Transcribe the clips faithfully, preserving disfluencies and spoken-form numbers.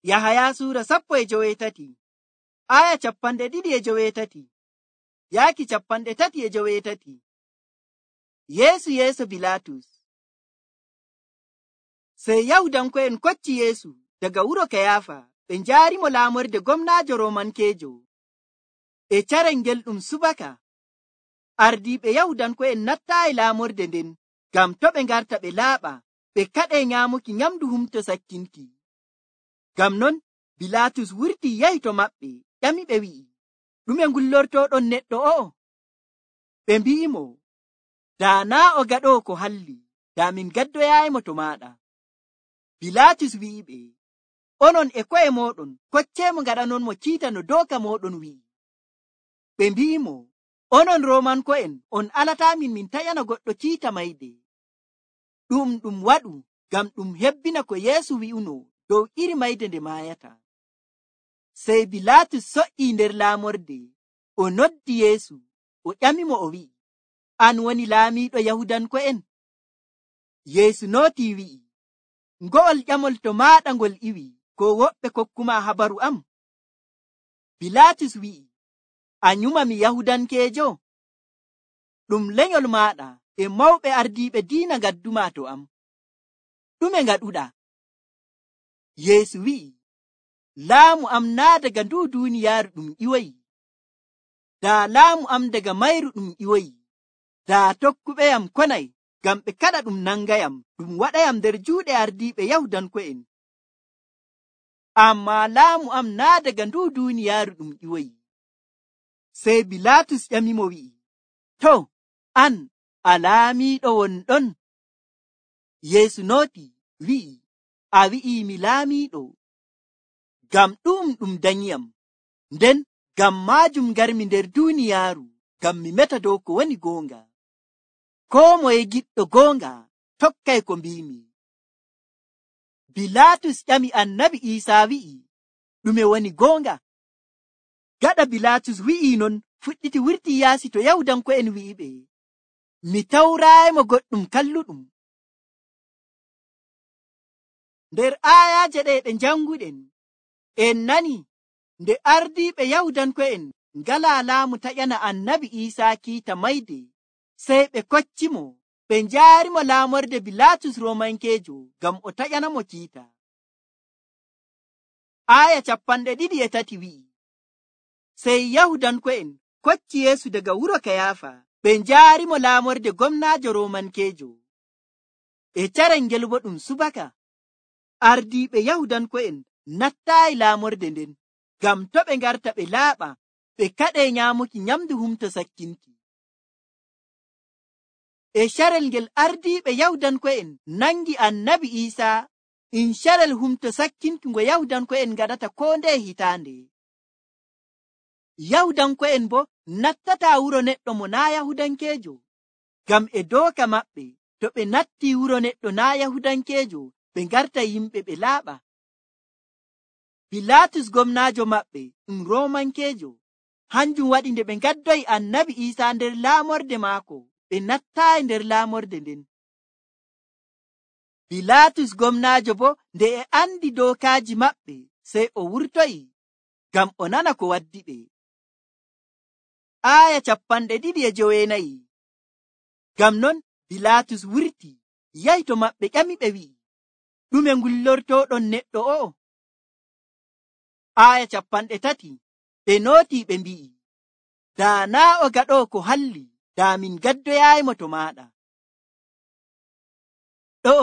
Yahaya suura sappo e joweetati aya capanɗe ɗiɗi e joweetati yaaki capanɗe tati e joweetati. Yeesu yeeso Bilaatus. Sey Yahudanko'en kocci Yeesu daga wuro Kayaafa ɓe njaarimo laamorde gomnaajo Roomankeejo. E carel ngel ɗum subaka, ardiiɓe Yahudanko'en nattaayi laamorde nden ngam to ɓe ngarta ɓe laaɓa ɓe kaɗee nyaamuki nyamndu Humto Sakkinki. Ngam non Bilaatus wurtii yahi to maɓɓe, ƴamiɓe wi'i, ɗume ngullortooɗon neɗɗo o'o? Ɓe mbi'imo, daa naa o gaɗoowo ko halli, daa min gaddoyaayimo to maaɗa. Bilaatus wi'iɓe, onon e ko'e mooɗon kocceemo ngaɗanonmo kiita no dooka mooɗon wi'i. Ɓe mbi'imo, onon Roomanko'en on alataa min min taƴana goɗɗo kiita mayde. Ɗum ɗum waɗu ngam ɗum hebbina ko Yeesu wi'uno dow iri mayde nde maayata. Sey Bilaatus so'ii nder laamorde, o noddi Yeesu, o ƴamimo o wi'i, an woni laamiiɗo Yahudanko'en? Yeesu nootii wi'i, ngo'ol ƴamol to maaɗa ngol iwi, ko woɓɓe kokkuma habaru am? Bilaatus wi'i, a nyumami Yahudankeejo? Ɗum lenyol maaɗa e mawɓe ardiiɓe diina ngadduma to am. Ɗume ngaɗuɗaa? Yeesu wi'i, laamu am naa daga nduu duuniyaaru ɗum iwoyi. Daa laamu am daga mayru ɗum iwoyi, daa tokkuɓeyam konay ngam ɓe kaɗa ɗum nangayam ɗum waɗayam nder juuɗe ardiiɓe Yahudanko'en. Ammaa laamu am naa daga nduu duuniyaaru ɗum iwoyi. Sey Bilaatus ƴamimo wi'i, to, an a laamiiɗo wonɗon? Yeesu nooti wi'i, a wi'ii mi laamiiɗo. Ngam ɗum ɗum danyiyam, nden ngam maajum ngarmi nder duuniyaaru, ngam mi meta dow ko woni goonga. Koo moye giɗɗo goonga tokkay ko mbiimi. Bilaatus ƴami Annabi Iisaa wi'i, ɗume woni goonga? Gaɗa Bilaatus wi'ii non, fuɗɗiti wurtii yaasi to Yahudanko'en wi'iɓe, mi tawraayimo goɗɗum kalluɗum. Nder aayaaje ɗe ɗe njanguɗen, en nani nde ardiiɓe Yahudanko'en ngalaa laamu taƴana Annabi Iisaa kiita mayde, sey ɓe koccimo ɓe njaarimo laamorde Bilaatus Roomankeejo ngam o taƴanamo kiita. Aaya capanɗe ɗiɗi e tati wi'i, sey Yahudanko'en kocci Yeesu daga wuro Kayaafa ɓe njaarimo laamorde gomnaajo Roomankeejo. E carel ngel bo ɗum subaka, ardiiɓe Yahudanko'en nattaayi laamorde nden ngam to ɓe ngarta ɓe laaɓa ɓe kaɗee nyaamuki nyamdu Humto Sakkinki. E carel ngel ardiiɓe Yahudanko'en nangi Annabi Iisaa in carel Humto Sakkinki ngo Yahudanko'en ngaɗata koo ndeye hitaande. Yahudanko'en bo nattataa wuro neɗɗo mo naa Yahudankeejo, ngam e dooka maɓɓe to ɓe nattii wuro neɗɗo naa Yahudankeejo ɓe ngarta yimɓe ɓe laaɓa. Bilaatus gomnaajo maɓɓe ɗum Roomankeejo, hanjum waɗi nde ɓe ngaddoyi Annabi Iisaa nder laamorde maako, ɓe nattaayi nder laamorde nden. Bilaatus gomnaajo bo nde e andi dookaaji maɓɓe, sey o wurtoyi ngam o nana ko waddi ɓe. Aaya capanɗe ɗiɗi e joweenayi. Ngam non Bilaatus wurti yahi to maɓɓe ƴamiɓe wi'i, ɗume ngullortooɗon neɗɗo o'o? Aaya capanɗe tati ɓe nootii ɓe mbi'i, daa naa o gaɗoo ko halli, daa min gaddoyaayimo to maaɗa. Ɗo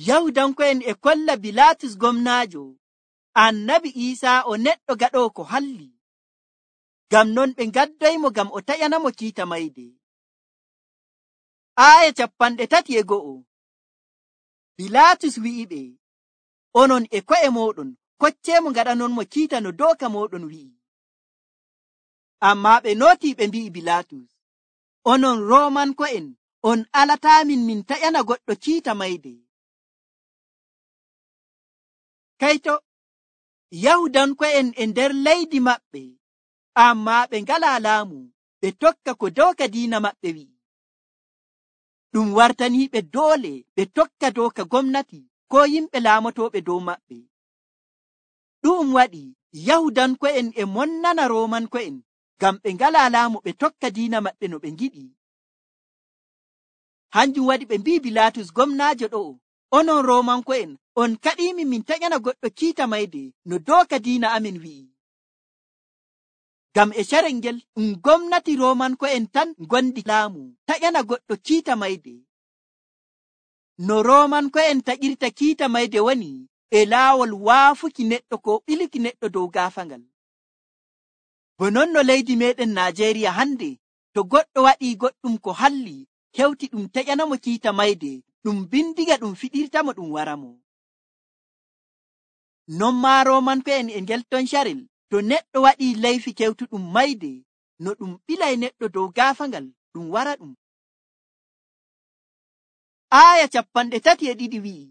Yahudanko'en e kolla Bilaatus gomnaajo, Annabi Iisaa o neɗɗo gaɗoo ko halli. Ngam non ɓe ngaddoyimo ngam o taƴanamo kiita mayde. Aaya capanɗe tati e go'o. Bilaatus wi'iɓe, onon e ko'e mooɗon kocceemo ngaɗanonmo kiita no dooka mooɗon wi'i. Ammaa ɓe nootii ɓe mbi'i Bilaatus, onon Roomanko'en on alataa min min taƴana goɗɗo kiita mayde. Kayto Yahudanko'en e nder leydi maɓɓe, ammaa ɓe ngalaa laamu, ɓe tokka ko dooka diina maɓɓe wi'i. Ɗum wartaniiɓe doole ɓe tokka dooka gomnati ko yimɓe laamotooɓe dow maɓɓe. ɗu'um waɗi Yahudanko'en e monnana Roomanko'en ngam ɓe ngalaa laamu ɓe tokka diina maɓɓe no ɓe ngiɗi. Hanjum waɗi ɓe mbi'i Bilaatus gomnaajo ɗo'o, onon Roomanko'en on kaɗiimi min taƴana goɗɗo kiita mayde no dooka diina amin wi'i. Ngam e carel ngel ɗum gomnati Roomanko'en tan ngondi laamu taƴana goɗɗo kiita mayde. No Roomanko'en taƴirta kiita mayde woni e laawol waafuki neɗɗo ko ɓiluki neɗɗo dow gaafangal. Bo non no leydi meɗen Naajeeriya hande, to goɗɗo waɗii goɗɗum ko halli hewti ɗum taƴanamo kiita mayde, ɗum bindiga ɗum fiɗirtamo ɗum waramo. Non maa Roomanko'en e ngel ton carel, to neɗɗo waɗii leyfi kewtuɗum mayde, no ɗum ɓilay neɗɗo dow gaafangal ɗum wara ɗum. Aaya capanɗe tati e ɗiɗi wi'i,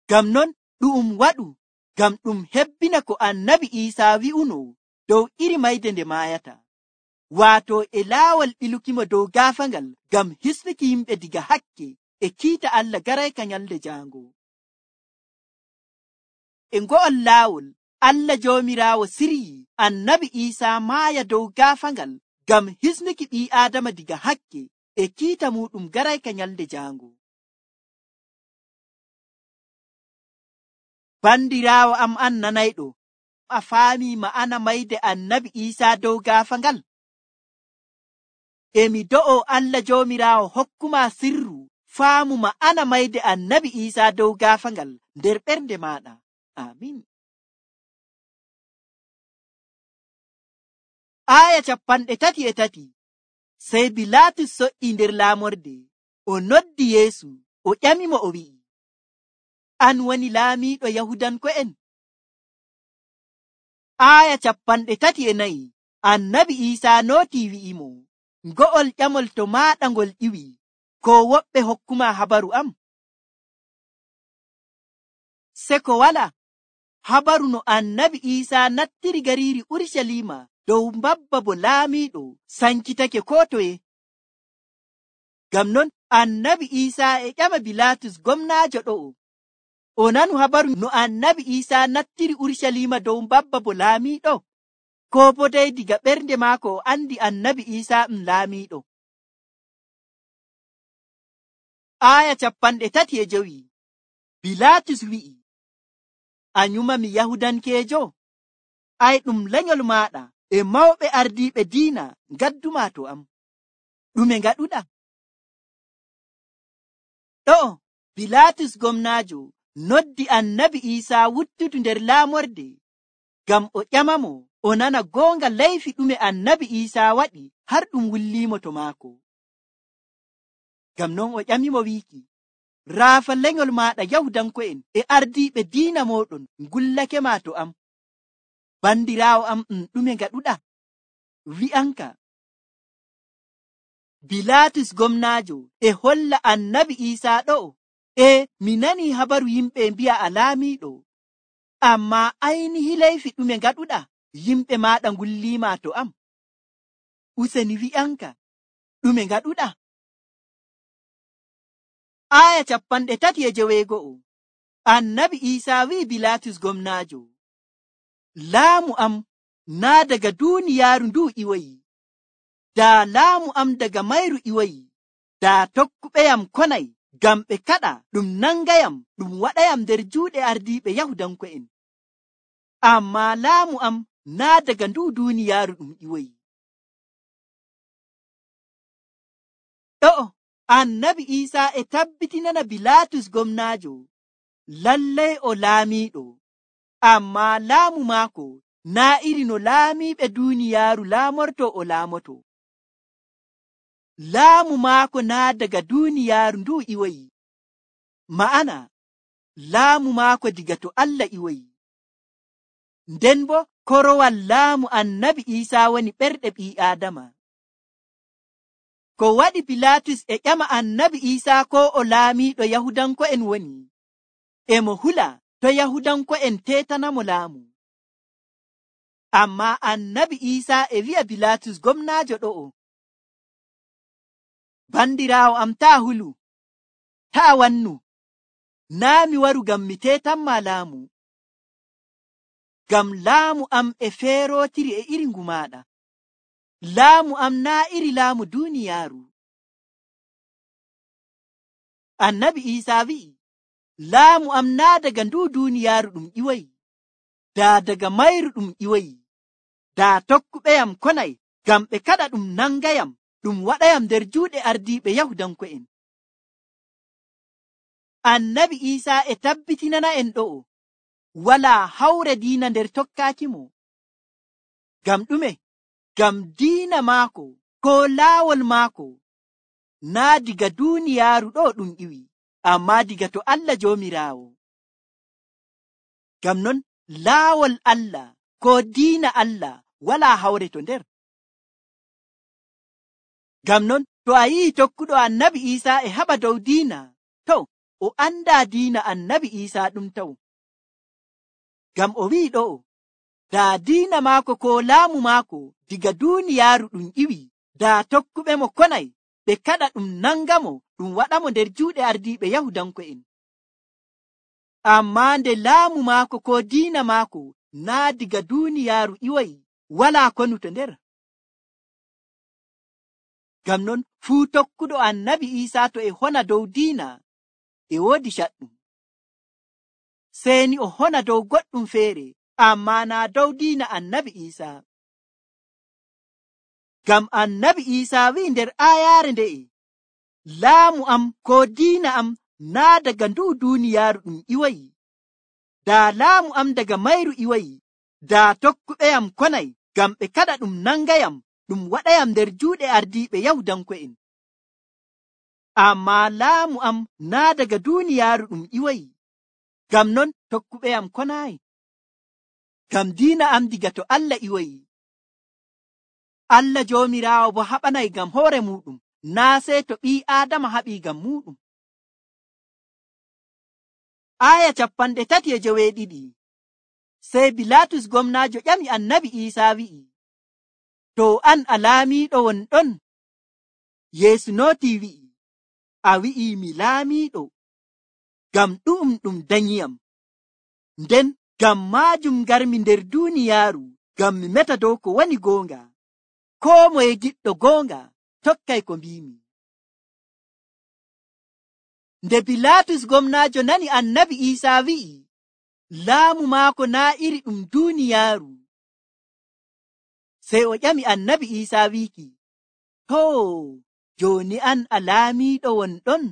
ngam non ɗum waɗu ngam ɗum hebbina ko annabi Iisaa wi'uno dow iri mayde nde maayata, waato e laawol ɓilukimo dow gaafangal ngam hisnuki yimɓe diga hakke e kiita Allah garayka nyalde jaango. E ngo'ol laawol, Allah Joomiraawo siryi annabi Iisaa maaya dow gaafangal ngam hisnuki ɓii Aadama diga hakke e kiita muɗum garayka nyalde jaango. Bandiraawo am an nanayɗo, a faami ma'ana mayde annabi Iisaa dow gaafangal? E mi do'o Allah Joomiraawo hokkuma sirru faamu ma'ana mayde annabi Iisaa dow gaafangal nder ɓernde maɗa. Amin. Aaya capanɗe tati e tati. Sey Bilaatus soƴƴi nder laamorde, o noddi Yeesu, o ƴamimo o wi'i, an woni laamiiɗo Yahudanko'en? Aaya capanɗe tati e nayi. Annabi Iisaa nootii wi'imo, ngo'ol ƴamol to maaɗa ngol ƴiwi, ko woɓɓe hokkuma habaru am? Se ko wala habaru no annabi Iisaa nattiri gariiri Urusalima dow mbabba bo laamiiɗo sankitake koo toye. Ngam non annabi Iisaa e ƴama Bilaatus gomnaajo ɗo'o, o nanu habaru no annabi Iisaa nattiri Urusalima dow mbabba bo laamiiɗo, ko bo dey diga ɓernde maako o andi annabi Iisaa ɗum laamiiɗo. Aaya capanɗe tati e jowi. Bilaatus wi'i, a nyumami Yahudankeejo? Ay ɗum lenyol maɗa e mawɓe ardiiɓe diina ngadduma to am. Ɗume ngaɗuɗa? Ɗo'o Bilaatus gomnaajo noddi annabi Iisaa wuttudu nder laamorde ngam o ƴamamo o nana goonga leyfi ɗume annabi Iisaa waɗi har ɗum wulliimo to maako. Ngam non o ƴamimo wiiki, raafa lenyol maɗa Yahudanko'en e ardiiɓe diina moɗon ngullake ma to am. Bandiraawo am ɗum ɗume ngaɗuɗa? Wi'anka. Bilaatus gomnaajo e holla annabi Iisaa ɗo'o, e mi nani habaru yimɓe mbi'a a laamiiɗo, amma aynihi leyfi ɗume ngaɗuɗa yimɓe maɗa ngulliima to am? Useni wi'anka, ɗume ngaɗuɗa? Aaya capanɗe tati e joweego'o. Annabi Iisaa wi'i Bilaatus gomnaajo, laamu am naa daga duuniyaaru ndu iwoyi. Daa laamu am daga mayru iwoyi, daa tokkuɓeyam konay ngam ɓe kaɗa ɗum nangayam ɗum waɗayam nder juuɗe ardiiɓe Yahudanko'en. Amma laamu am naa daga ndu duuniyaaru ɗum iwoyi. Ɗo'o annabi Iisaa e tabbitinana Bilaatus gomnaajo lallay o laamiiɗo, amma laamu maako naa iri no laamiiɓe duuniyaaru laamorto o laamoto. Laamu maako naa daga duuniyaaru ndu iwoyi, ma'ana laamu maako diga to Allah iwoyi. Nden bo korowal laamu annabi Iisaa woni ɓerɗe ɓii Aadama. Ko waɗi Bilaatus e ƴama annabi Iisaa ko o laamiiɗo Yahudanko'en woni, e mo hula to Yahudanko'en teetanamo laamu. Amma annabi Iisaa e wi'a Bilaatus gomnaajo ɗo'o, bandiraawo am taa hulu, taa wannu, naa mi waru ngam mi teetanma laamu. ngam laamu am e feerotiri e iri ngu maɗa. Laamu am naa iri laamu duuniyaaru. Annabi Iisaa wi'i, laamu am naa daga nduu duuniyaaru ɗum ƴiwoyi, daa daga mayru ɗum ƴiwoyi. Daa tokkuɓeyam konay ngam ɓe kaɗa ɗum nangayam ɗum waɗayam nder juuɗe ardiiɓe Yahudanko'en. Annabi Iisaa e tabbitinana en ɗo'o walaa hawre diina nder tokkaakimo. Ngam ɗume? Ngam diina maako koo laawol maako naa diga duuniyaaru ɗo ɗum ƴiwi, ammaa diga to Allah Joomiraawo. Ngam non laawol Allah koo diina Allah walaa hawre to nder. Ngam non to a yi'i tokkuɗo Annabi Iisaa e haɓa dow diina, to o andaa diina Annabi Iisaa ɗum taw. Ngam o wi'i ɗo'o, daa diina maako koo laamu maako diga duuniyaaru ɗum ƴiwi, daa tokkuɓe mo konay ɓe kaɗa ɗum nangamo ɗum waɗamo nder juuɗe ardiiɓe Yahudanko'en. Ammaa nde laamu maako koo diina maako naa diga duuniyaaru ƴiwoyi, walaa konu to nder. Ngam non fuu tokkuɗo Annabi Iisaa to e hona dow diina e woodi caɗɗum. Seeni o hona dow goɗɗum feere, ammaa naa dow diina Annabi Iisaa. Ngam Annabi Iisaa wi'i nder aayaare nde'e, laamu am koo diina am naa daga nduu duuniyaaru ɗum ƴiwoyi. Daa laamu am daga mayru ƴiwoyi, daa tokkuɓeyam konay ngam ɓe kaɗa ɗum nangayam ɗum waɗayam nder juuɗe ardiiɓe Yahudanko'en. Ammaa laamu am naa daga duuniyaaru ɗum ƴiwoyi, ngam non tokkuɓeyam konaayi. Ngam diina am diga to Allah ƴiwoyi. Allah Joomiraawo bo haɓanay ngam hoore muuɗum, naa sey to ɓii Aadama haɓii ngam muuɗum. Aaya capanɗe tati e joweeɗiɗi. Sey Bilaatus gomnaajo ƴami Annabi Iisaa wi'i, to an a laamiiɗo won ɗon? Yeesu nootii wi'i, a wi'ii mi laamiiɗo, ngam ɗu'um ɗum danyiyam. Nden ngam maajum ngarmi nder duuniyaaru, ngam mi meta dow ko woni goonga. Koo moye giɗɗo goonga tokkay ko mbiimi. Nde Bilaatus gomnaajo nani Annabi Iisaa wi'i, laamu maako naa iri ɗum duuniyaaru, sey o ƴami Annabi Iisaa wiiki, too, jooni an a laamiiɗo won ɗon?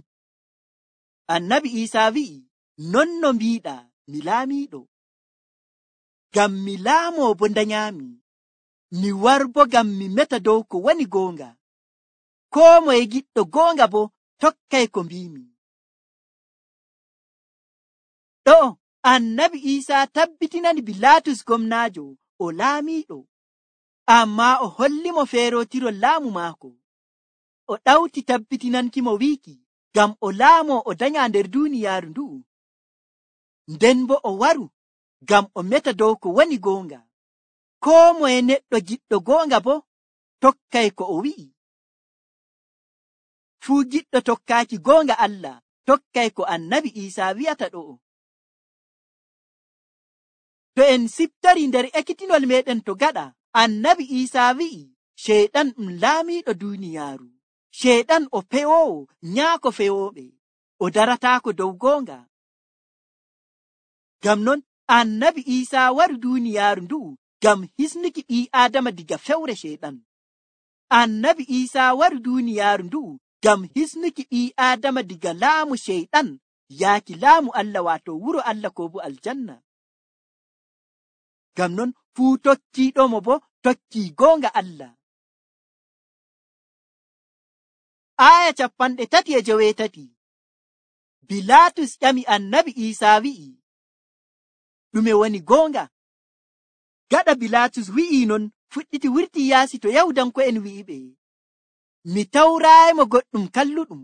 Annabi Iisaa wi'i, non no mbiiɗaa, mi laamiiɗo. Ngam mi laamoo bo ndanyaami, mi warbo ngam mi meta dow ko woni goonga. Koo moye giɗɗo goonga bo tokkay ko mbiimi. Ɗo Annabi Iisaa tabbitinani Bilaatus gomnaajo o laamiiɗo, ammaa o hollimo feerotirol laamu maako. O ɗawti tabbitinankimo wiiki ngam o laamoo o danyaa nder duuniyaaru ndu'u. Nden bo o waru ngam o meta dow ko woni goonga. Koo moye neɗɗo giɗɗo goonga bo tokkay ko o wi'i. Fuu giɗɗo tokkaaki goonga Allah tokkay ko Annabi Iisaa wi'ata ɗo'o. To en siftori nder ekkitinol meɗen to gaɗa, Annabi Iisaa wi'i Ceyɗan ɗum laamiiɗo duuniyaaru. Ceyɗan o pewoowo nyaako fewooɓe, o darataako dow goonga. Ngam non Annabi Iisaa wari duuniyaaru ndu'u ngam hisnuki ɓii Aadama diga fewre Ceyɗan. Annabi Iisaa wari duuniyaaru ndu'u ngam hisnuki ɓii Aadama diga laamu Ceyɗan yaaki laamu Allah, waato wuro Allah ko bo aljanna. Ngam non fuu tokkiiɗomo bo tokkii goonga Allah. Aaya capanɗe tati e joweetati. Bilaatus ƴami Annabi Iisaa wi'i, ɗume woni goonga? Gaɗa Bilaatus wi'i non, fuɗɗiti wurti yaasi to Yahudanko'en wi'iɓe, mi tawraayimo goɗɗum kalluɗum.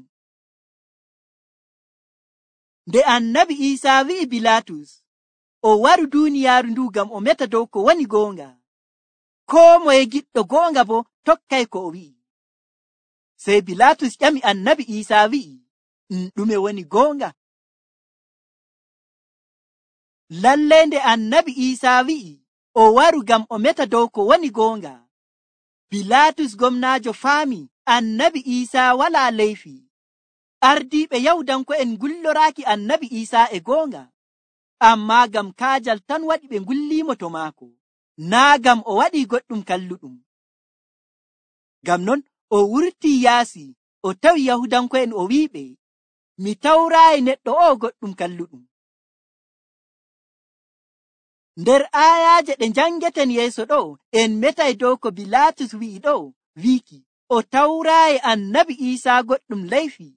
Nde Annabi Iisaa wi'i Bilaatus o waru duuniyaaru ndu ngam o meta dow ko woni goonga, koo moye giɗɗo goonga bo tokkay ko o wi'i. Sey Bilaatus ƴami Annabi Iisaa wi'i, ɗume woni goonga? Lallay nde Annabi Iisaa wi'i o waru ngam o meta dow ko woni goonga. Bilaatus gomnaajo faami annabi Iisaa walaa leyfi. Ardiiɓe Yahudanko'en ngulloraaki annabi Iisaa e goonga, ammaa ngam kaajal tan waɗi ɓe ngulliimo to maako, naa ngam o waɗii goɗɗum kalluɗum. Ngam non o wurtii yaasi o tawi Yahudanko'en o wi'iɓe, mi tawraayi neɗɗo o'o goɗɗum kalluɗum. Nder aayaaje ɗe njangeten yeeso ɗo, en metay dow ko Bilaatus wi'i ɗo, wiiki o tawraayi annabi Iisaa goɗɗum leyfi.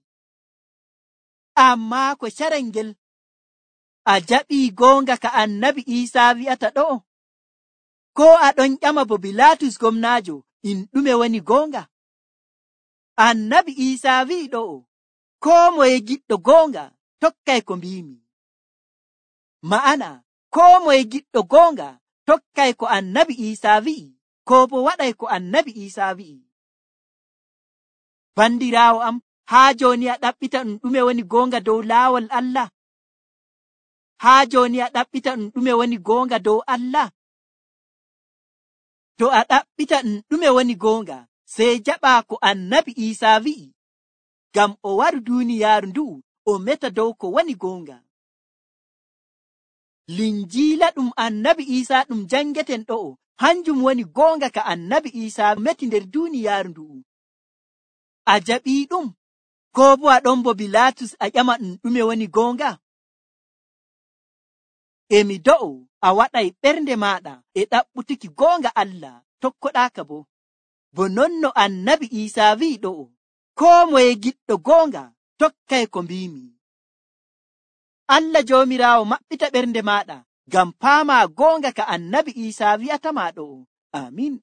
Ammaa ko carel ngel a jaɓii goonga ka annabi Iisaa wi'ata ɗo? Koo aɗon ƴama bo Bilaatus gomnaajo in ɗume woni goonga? Annabi Iisaa wi'i ɗo, koo moye giɗɗo goonga tokkay ko mbiimi. Ma'ana, koo moye giɗɗo goonga tokkay ko annabi Iisaa wi'i, koo bo waɗay ko annabi Iisaa wi'i. Bandiraawo am, haa jooni a ɗaɓɓita ɗum ɗume woni goonga dow laawol Allah? Haa jooni a ɗaɓɓita ɗum ɗume woni goonga dow Allah? To a ɗaɓɓita ɗum ɗume woni goonga, sey jaɓaa ko annabi Iisaa wi'i, ngam o waru duuniyaaru ndu'u o meta dow ko woni goonga. Linjiila ɗum annabi Iisaa ɗum jangeten ɗo'o, hanjum woni goonga ka annabi Iisaa meti nder duuniyaaru ndu'u. A jaɓii ɗum, koo bo a ɗon bo Bilaatus a ƴama ɗum ɗume woni goonga? Emi do'o a waɗay ɓernde maaɗa e ɗaɓɓutuki goonga Allah, tokkoɗaaka bo. Bo non no annabi Iisaa wi'i ɗo'o, koo moye giɗɗo goonga tokkay ko mbiimi. Allah Joomiraawo maɓɓita ɓernde maaɗa ngam paamaa goonga ka annabi Iisaa wi'atama ɗo'o. Amin.